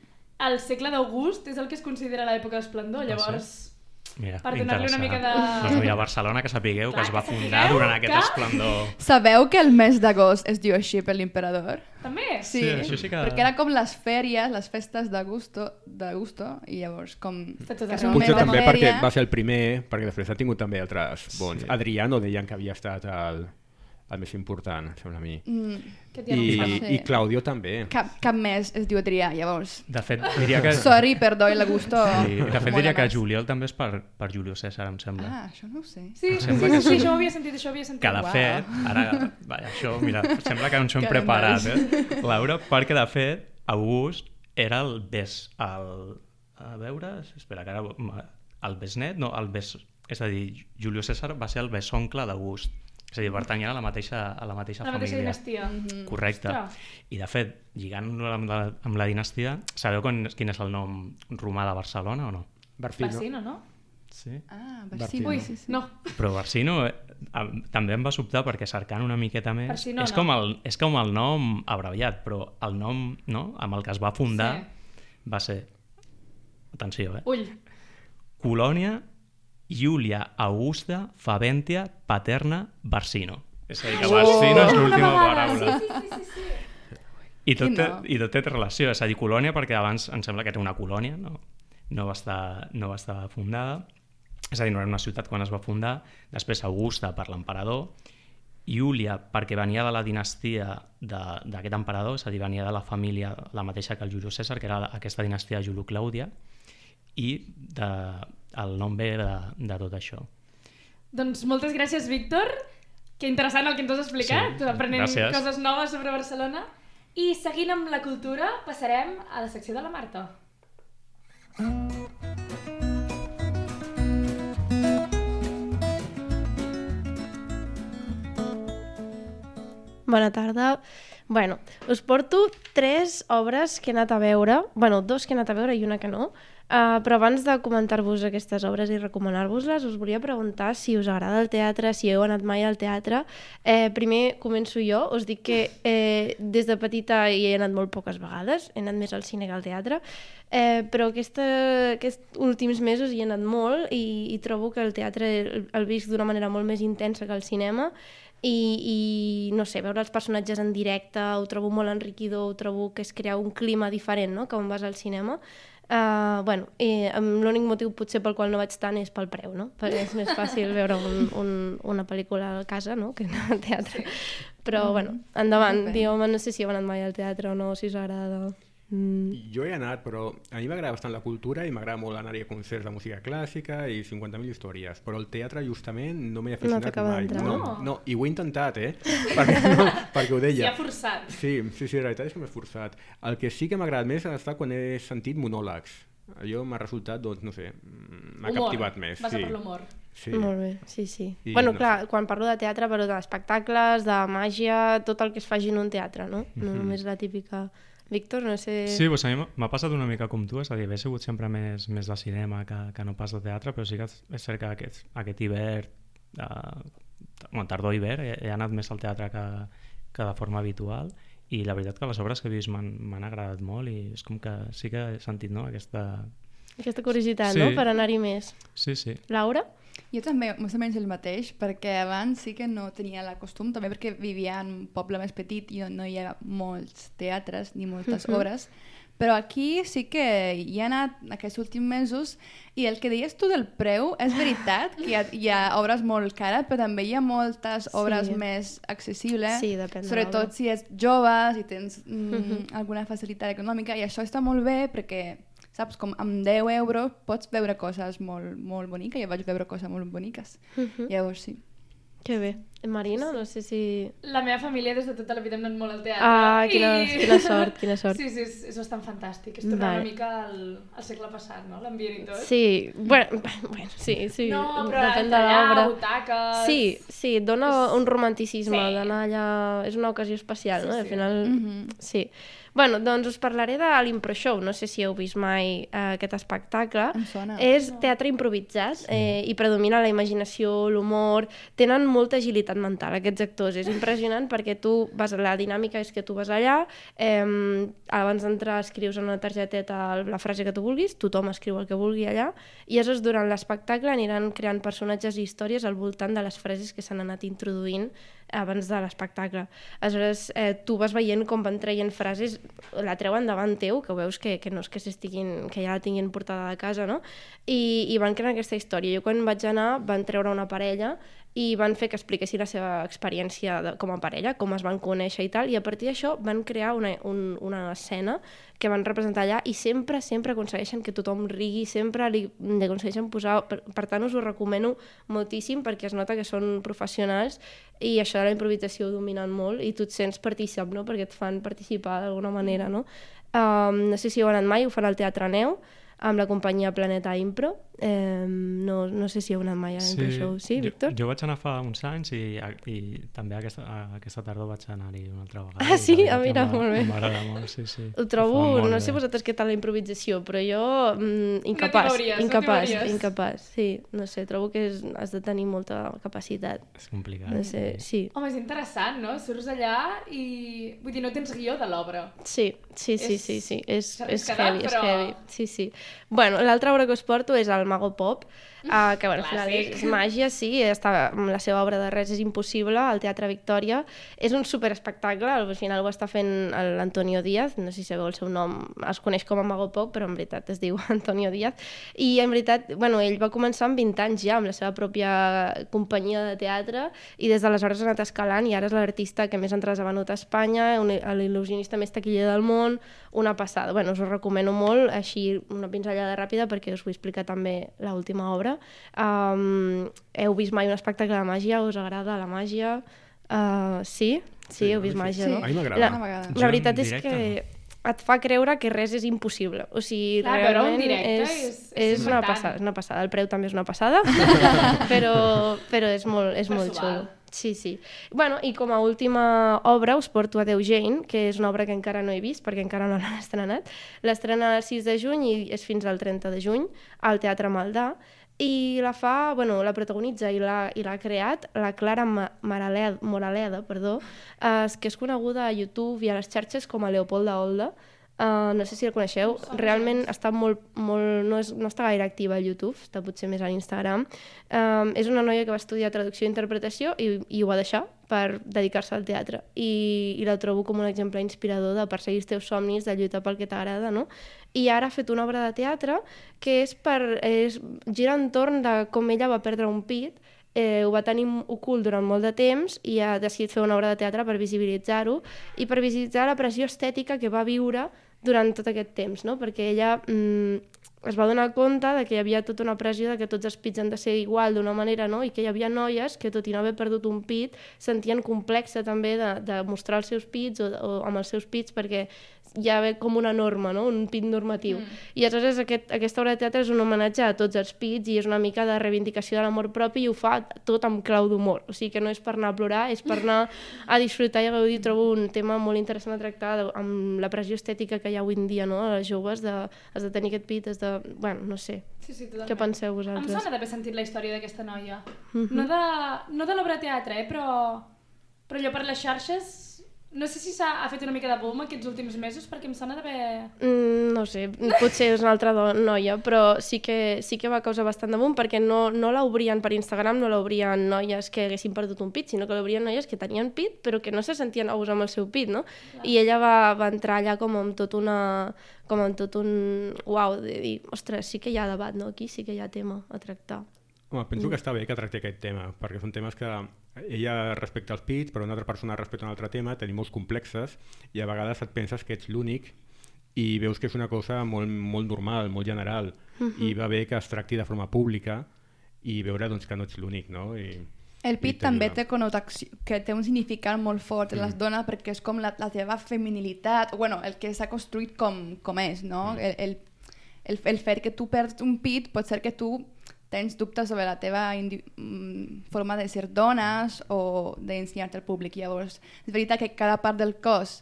El segle d'August és el que es considera l'època d'esplendor, Ah, llavors... Mira, Per donar-li una mica de... Doncs mira, Barcelona, que sapigueu Clar, que es va que fundar sapigueu durant aquest que- esplendor. Sabeu que el mes d'agost es diu així per l'emperador? També? Sí, Sí, això sí que- perquè era com les fèries, les festes d'agosto, d'agosto, i llavors com... Està tot que arreu. és un mes Potser de també perquè fèria. va ser el primer, perquè després ha tingut també altres bons. Sí. Adriano deien que havia estat el, el més important, sembla a mi. Mm, Que t'hi ha I, notat. Sí. I Claudio també. cap, cap mes es diu Adrià, llavors. De fet, diria que... Sorry, perdó, l'agosto... Sí, de fet mola diria que més. juliol també és per, per Julio César, em sembla. Ah, això no ho sé. Sí, sí, Sembla sí, que sí, sí. això ho havia sentit, això ho havia sentit. Que de Uau. fet, ara, vaja, això, mira, sembla que no ens ho hem Que preparat, nervis. eh, Laura, perquè de fet, August era el bes, el, a veure, espera, que ara, el besnet, no, el bes, és a dir, Julio César va ser el besoncle d'August, és a dir, pertanyia a la mateixa, a la mateixa La mateixa família. dinastia. Mm-hmm. Correcte. Ostres. I de fet, lligant-ho amb, la, amb la dinastia, sabeu con, quin és el nom romà de Barcelona o no? Barcino. Bassino, no? Sí. Ah, Barcino. Barcino. Ui, Sí, sí. no. Però Barsino eh, em- també em va sobtar perquè cercant una miqueta més Barsino és, no. com el, és com el nom abreviat, però el nom no, amb el que es va fundar va ser, atenció, eh? Ull. Colònia Iulia Augusta Faventia Paterna Barsino. És a dir, que Barsino és l'última paraula. Sí, sí, sí, sí. I tot, Qui té, no? I tot té relació, és a dir, colònia perquè abans em sembla que era una colònia, no, no, va estar, no va estar fundada, és a dir, no era una ciutat quan es va fundar, després Augusta per l'emperador, Iulia perquè venia de la dinastia de- d'aquest emperador, és a dir, venia de la família la mateixa que el Julio César, que era aquesta dinastia Julio Clàudia, i de, el nom ve de, de tot això. Doncs moltes gràcies, Víctor. Que interessant el que ens has explicat. Sí, Aprenent gràcies. coses noves sobre Barcelona. I seguint amb la cultura, passarem a la secció de la Marta. Bona tarda. Bueno, us porto tres obres que he anat a veure, bueno, dos que he anat a veure i una que no, uh, però abans de comentar-vos aquestes obres i recomanar-vos-les, us volia preguntar si us agrada el teatre, si heu anat mai al teatre. Eh, primer començo jo, us dic que eh, des de petita hi he anat molt poques vegades, he anat més al cine que al teatre, eh, però aquesta, aquests últims mesos hi he anat molt i, i trobo que el teatre el, el visc d'una manera molt més intensa que el cinema, i, i no sé, veure els personatges en directe ho trobo molt enriquidor, ho trobo que es crea un clima diferent, no?, que on vas al cinema. Uh, bueno, i l'únic motiu potser pel qual no vaig tant és pel preu, no?, perquè és més fàcil veure un, un, una pel·lícula a casa, no?, que anar al teatre. Però, bueno, endavant, Depèn. digueu-me, no sé si heu anat mai al teatre o no, si us agrada. Mm. Jo he anat, però a mi m'agrada bastant la cultura i m'agrada molt anar a concerts de música clàssica i cinquanta mil històries, però el teatre justament no m'he aficionat t'acaba mai. d'entrar. No, No. no, i ho he intentat, eh? perquè, no, perquè ho S'hi deia. ha forçat. Sí, sí, sí, la veritat és que m'he esforçat. El que sí que m'ha agradat més ha estat quan he sentit monòlegs. Allò m'ha resultat, doncs, no sé, m'ha Humor. captivat més. Vas sí. a per l'humor. Sí. Molt bé, sí, sí. I bueno, no clar, quan parlo de teatre, parlo d'espectacles, de màgia, tot el que es faci en un teatre, no? No Mhm. només la típica... Víctor, no sé... Sí, doncs a mi m'ha passat una mica com tu, és a dir, he sigut sempre més, més de cinema que, que no pas de teatre, però sí que és cert que aquest, aquest hivern, eh, bueno, tardor-hivern, he, he anat més al teatre que, que de forma habitual, i la veritat que les obres que he vist m'han m'han agradat molt i és com que sí que he sentit, no?, aquesta... Aquesta curiositat, Sí. no?, per anar-hi més. Sí, sí. Laura? Jo també, més o menys el mateix, perquè abans sí que no tenia la costum, també perquè vivia en un poble més petit i on no hi ha molts teatres ni moltes Mhm. obres, però aquí sí que hi he anat aquests últims mesos i el que deies tu del preu, és veritat que hi ha, hi ha obres molt cares, però també hi ha moltes obres Sí. més accessibles, Sí, depèn de sobretot l'obra. si ets jove, si tens mm, Mhm. alguna facilitat econòmica, i això està molt bé perquè saps, com amb deu euros pots veure coses molt, molt boniques. Jo vaig veure coses molt boniques. Mhm. Llavors sí. Que bé. Marina, no sé si... La meva família des de tota la vida hem anat molt al teatre. Ah, quina, i- quina sort, quina sort. Sí, sí, és, és bastant fantàstic. És tornar Vale. una mica al, al segle passat, no? L'ambient i tot. Sí, bueno, bueno sí, sí, No, però depèn de allà, l'obra. butaques... Sí, sí, et dona És- un romanticisme Sí. d'anar allà... És una ocasió especial, Sí, no? Al sí. final, Mhm. sí. Bueno, doncs us parlaré de l'Impro Show. No sé si heu vist mai eh, aquest espectacle. Em sona. És teatre improvisat eh, i predomina la imaginació, l'humor. Tenen molta agilitat sanitat mental, aquests actors. És impressionant perquè tu vas, la dinàmica és que tu vas allà, eh, abans d'entrar escrius en una targeteta la frase que tu vulguis, tothom escriu el que vulgui allà, i aleshores durant l'espectacle aniran creant personatges i històries al voltant de les frases que s'han anat introduint abans de l'espectacle. Aleshores, eh, tu vas veient com van traient frases, la treuen davant teu, que veus que, que no és que s'estiguin, que ja la tinguin portada de casa, no? I, i van crear aquesta història. Jo quan vaig anar van treure una parella i van fer que expliquessin la seva experiència de, com a parella, com es van conèixer i tal, i a partir d'això van crear una, un, una escena que van representar allà i sempre, sempre aconsegueixen que tothom rigui, sempre li, li aconsegueixen posar... Per, per tant, us ho recomano moltíssim perquè es nota que són professionals i això de la improvisació ho dominen molt i tu et sents partícip, no? Perquè et fan participar d'alguna manera, no? Um, no sé si heu anat mai, ho fan al Teatre Neu, amb la companyia Planeta Impro. Eh, no, no sé si heu anat mai a l'Impro Show. Sí, Víctor? Jo, jo vaig anar fa uns anys i, i també aquesta, aquesta tardor vaig anar-hi una altra vegada. Ah, sí? Ah, mira, molt bé. M'agrada molt, sí, sí. Ho trobo, no bé. sé vosaltres què tal la improvisació, però jo mm, incapaç, no incapaç, no incapaç. Sí, no sé, trobo que és, has de tenir molta capacitat. És complicat. No sé, sí. Home, és interessant, no? Surts allà i... Vull dir, no tens guió de l'obra. Sí, sí, sí, és... sí, sí. És, és quedat, heavy, però... és heavy. Sí, sí. Bueno, l'altra obra que us porto és el Mago Pop, uh, que bueno, al final és, és màgia, sí, està, la seva obra de Res és impossible, al Teatre Victòria. És un superespectacle, al final ho està fent l'Antonio Díaz, no sé si sabeu el seu nom, es coneix com a Mago Pop, però en veritat es diu Antonio Díaz, i en veritat, bueno, ell va començar amb vint anys ja, amb la seva pròpia companyia de teatre, i des d'aleshores ha anat escalant, i ara és l'artista que més entrades ha venut a Espanya, l'il·lusionista més taquiller del món, una passada. Bueno, us ho recomano molt, així una pinzellada ràpida perquè us vull explicar també l'última obra. Um, heu vist mai un espectacle de màgia? Us agrada la màgia? Uh, sí? Sí, heu vist màgia, sí. no? A mi m'agrada. La, la veritat és que et fa creure que res és impossible. O sigui, clar, realment directe és, és, és, és una passada, és una passada. El preu també és una passada, però, però és molt, és molt xulo. Sí, sí. Bueno, i com a última obra us porto a Déu Jane, que és una obra que encara no he vist perquè encara no l'han estrenat. L'estrena el sis de juny i és fins al trenta de juny al Teatre Maldà. I la fa, bueno, la protagonitza i l'ha i l'ha creat la Clara Moraleda, Moraleda, perdó, eh, que és coneguda a YouTube i a les xarxes com a Leopolda Olda. Uh, no sé si el coneixeu, realment està molt, molt, no, és, no està gaire activa a YouTube, està potser més a l'Instagram. Um, és una noia que va estudiar traducció i interpretació i, i ho va deixar per dedicar-se al teatre. I, I la trobo com un exemple inspirador de perseguir els teus somnis, de lluitar pel que t'agrada, no? I ara ha fet una obra de teatre que és per, és, gira entorn de com ella va perdre un pit. Eh, ho va tenir ocult durant molt de temps i ha decidit fer una obra de teatre per visibilitzar-ho i per visibilitzar la pressió estètica que va viure durant tot aquest temps, no? Perquè ella mm, es va donar compte de que hi havia tota una pressió de que tots els pits han de ser igual d'una manera, no? I que hi havia noies que, tot i no haver perdut un pit, sentien complexa també de, de mostrar els seus pits o, o amb els seus pits perquè hi ha com una norma, no? Un pit normatiu. Mm. I aleshores aquest, aquesta obra de teatre és un homenatge a tots els pits i és una mica de reivindicació de l'amor propi i ho fa tot amb clau d'humor. O sigui que no és per anar a plorar, és per anar a disfrutar i a gaudir. Trobo un tema molt interessant a tractar de, amb la pressió estètica que hi ha avui en dia, no? A les joves, de, has de tenir aquest pit, has de... Bueno, no sé. Sí, sí, totalment. Què penseu vosaltres? Em sona d'haver sentit la història d'aquesta noia. Mm-hmm. No de, no de l'obra de teatre, eh? però, però allò per les xarxes... No sé si s'ha ha fet una mica de boom aquests últims mesos, perquè em sona d'haver... Mm, no sé, potser és una altra noia, però sí que, sí que va causar bastant de boom, perquè no, no l'obrien per Instagram, no l'obrien noies que haguessin perdut un pit, sinó que l'obrien noies que tenien pit, però que no se sentien a gust amb el seu pit, no? Clar. I ella va, va entrar allà com amb tot una... com amb tot un... Uau, de dir, ostres, sí que hi ha debat, no? Aquí sí que hi ha tema a tractar. Home, penso que està bé que tracti aquest tema, perquè són temes que ella respecta els pits, però una altra persona respecta un altre tema, tenim molts complexes i a vegades et penses que ets l'únic i veus que és una cosa molt, molt normal, molt general, uh-huh. i va bé que es tracti de forma pública i veure doncs, que no ets l'únic, no? I, el pit també té connotació, que té un significat molt fort en mm. les dones perquè és com la, la teva feminilitat, bueno, el que s'ha construït com, com és, no? Mm. El, el, el, el fet que tu perds un pit pot ser que tu tens dubtes sobre la teva indi- forma de ser dones o d'ensenyar-te al públic. Llavors, és veritat que cada part del cos,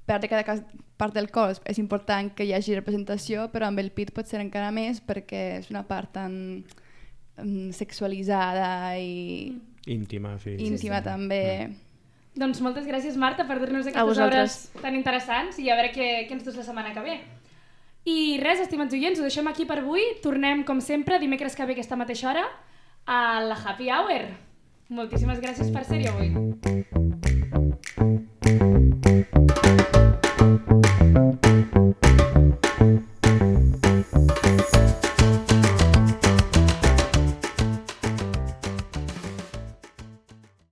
perdre cada part del cos és important que hi hagi representació, però amb el pit pot ser encara més perquè és una part tan um, sexualitzada i... Íntima, sí. íntima també. Doncs moltes gràcies, Marta, per dur-nos A aquestes vosaltres. obres tan interessants i a veure què, què ens dus la setmana que ve. I res, estimats oients, ho deixem aquí per avui. Tornem, com sempre, dimecres que ve aquesta mateixa hora a la Happy Hour. Moltíssimes gràcies per ser-hi avui.